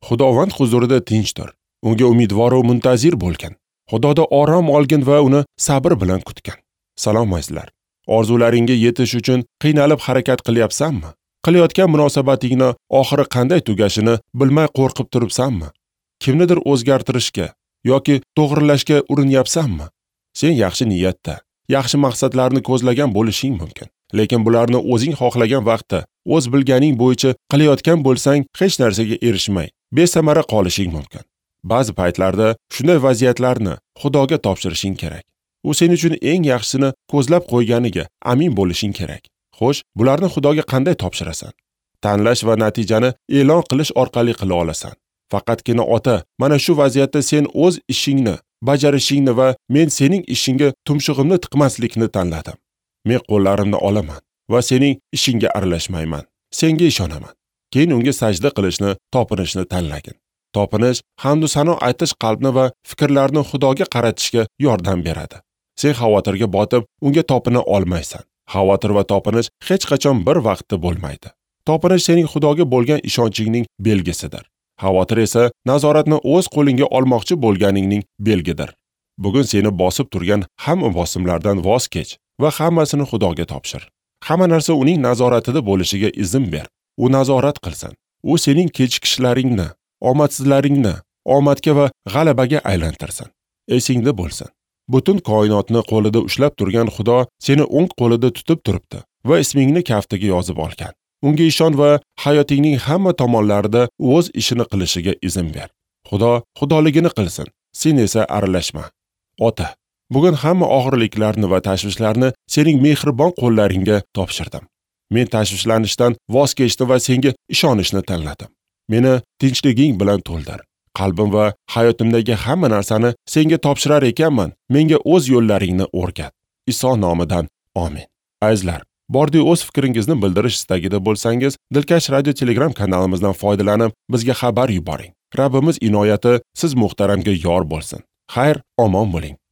Xudovand huzurida tinchdir. Unga umidvor va muntazir bo'lgin. Xudoda orom olgin va uni sabr bilan kutgin. Salom azizlar. Orzularingga yetish uchun qiynalib harakat qilyapsanmi? Qilayotgan munosabatingni oxiri qanday tugashini bilmay qo'rqib turibsanmi? Kimnidir o'zgartirishga yoki to'g'rilashga urinyapsanmi? Sen yaxshi niyatda, yaxshi maqsadlarni ko'zlagan bo'lishing mumkin. Lekin bularni o'zing xohlagan vaqtda, o'z bilganing bo'yicha qilayotgan bo'lsang, hech narsaga erishmay, besamara qolishing mumkin. Ba'zi paytlarda shunday vaziyatlarni Xudoga topshirishing kerak. U sen uchun eng yaxshisini ko'zlab qo'yganiga amin bo'lishing kerak. Xo'sh, bularni Xudoga qanday topshirasan? Tanlash va natijani e'lon qilish orqali qila olasan. Faqatgina ota, mana shu vaziyatda sen o'z ishingni bajarishingni va men sening ishingga tumshug'imni tiqmaslikni tanladim. Men qo'llarimni olaman va sening ishingga aralashmayman. Senga ishonaman. Keyin unga sajda qilishni, topinishni tanlagin. Topinish, hamd va sano aytish qalbni va fikrlarni Xudoga qaratishga yordam beradi. Sen xavotirga botib, unga topina olmaysan. Xavotir va topinish hech qachon bir vaqtda bo'lmaydi. Topinish sening Xudoga bo'lgan ishonchingning belgisidir. Xavotir esa nazoratni o'z qo'lingga olmoqchi bo'lganingning belgidir. Bugun seni bosib turgan hamma bosimlardan voz kech va hammasini Xudoga topshir. Hamma narsa uning nazoratida bo'lishiga izn ber. U nazorat qilsin. U sening kechikishlaringni, omadsizlaringni omadga va g'alabaga aylantirsin. Esingda bo'lsin. Butun koinotni qo'lida ushlab turgan Xudo seni o'ng qo'lida tutib turibdi va ismingni kaftiga yozib olgan. Unga ishon va hayotingning hamma tomonlarida o'z ishini qilishiga izn ber. Xudo xudoligini qilsin, sen esa aralashma. Ota, bugun hamma og'irliklarni va tashvishlarni sening mehribon qo'llaringga topshirdim. Men tashvishlanishdan voz kechdim va senga ishonishni tanladim. Meni tinchliging bilan to'ldir. Qalbim va hayotimdagi hamma narsani senga topshirar ekanman. Menga o'z yo'llaringni o'rgat. Iso nomidan amin. Azizlar, bordi o'z fikringizni bildirish istagida bo'lsangiz, Dilkash radio Telegram kanalimizdan foydalanib, bizga xabar yuboring. Rabbimiz inoyati siz muhtaramga yor bo'lsin. Xayr, omon bo'ling.